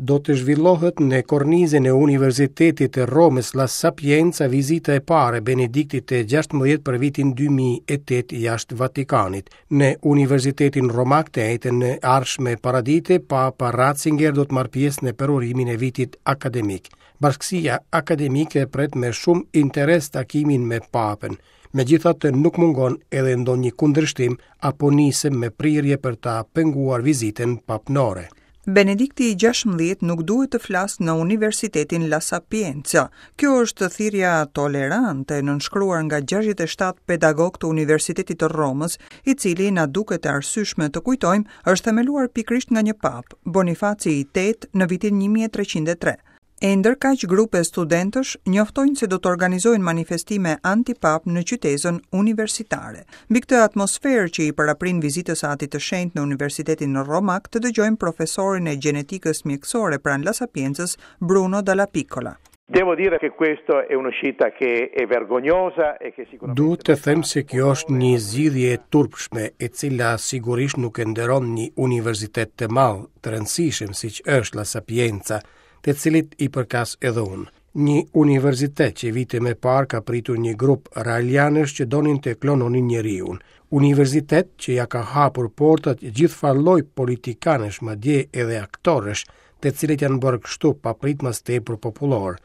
Do të zhvillohet në kornizën e Universitetit të Romës La Sapienza vizita e parë e Benediktit të 16 për vitin 2008 jashtë Vatikanit. Në Universitetin Romak të enjten e ardhshme paradite, Papa Ratzinger do të marrë pjesë në përurimin e vitit akademik. Bashkësia akademike pret me shumë interes takimin me Papën. Megjithatë nuk mungon edhe ndonjë kundërshtim apo nismë me prirje për ta penguar vizitën papnore. Benedikti i 16 nuk duhet të flasë në Universitetin La Sapienza. Kjo është thirrja tolerante nënshkruar nga 67 pedagogë të Universitetit të Romës, i cili na duket e arsyeshme të kujtojmë, është themeluar pikërisht nga një papë, Bonifaci i VIII në vitin 1303. E ndërkaq grupe studentësh njoftojnë se do të organizojnë manifestime antipapë në qytezën universitare. Mbi këtë atmosferë që i paraprin vizitës së Atit të Shenjtë në Universitetin Romak, të dëgjojmë profesorin e gjenetikës mjekësore pranë La Sapiencës, Bruno Dallapiccola. Devo dire che questo è un'uscita che è vergognosa e che sicuramente Duhet të them se kjo është një zgjidhje e turpshme, e cila sigurisht nuk e nderon një universitet të madh, të rëndësishëm siç është La Sapienza, të cilit i përkas edhe unë. Një universitet që vite më parë ka pritur një grup raelianësh që donin të klononin njeriun. Universitet që ia ka hapur portat gjithfarë lloj politikanësh, madje edhe aktorësh, të cilët janë bërë kështu papritmas tepër popullorë.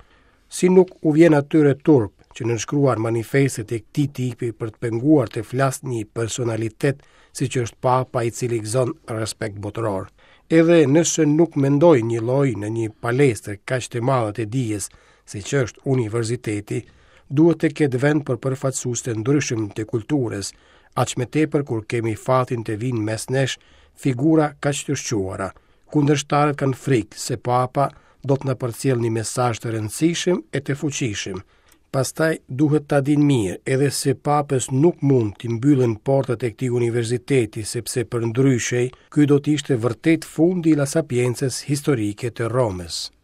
Si nuk u vjen atyre turp që nënshkruan manifestet e këtij tipi për të penguar të flasë një personalitet siç është Papa i cili gëzon respekt botëror. Edhe nëse nuk mendoj njëlloj në një palestër kaq të madhe të dijes, siç është universiteti, duhet të ketë vend për përfaqësues të ndryshëm të kulturës, aq më tepër kur kemi fatin të vijnë mes nesh figura kaq të shquara. Kundërshtarët kanë frikë se Papa do të na përcjellë një mesazh të rëndësishëm e të fuqishëm. Pastaj duhet ta dinë mirë edhe se Papës nuk mund t'i mbyllen portat e këtij universiteti, sepse përndryshe ky do të ishte vërtet fundi i La Sapiencës historike të Romës.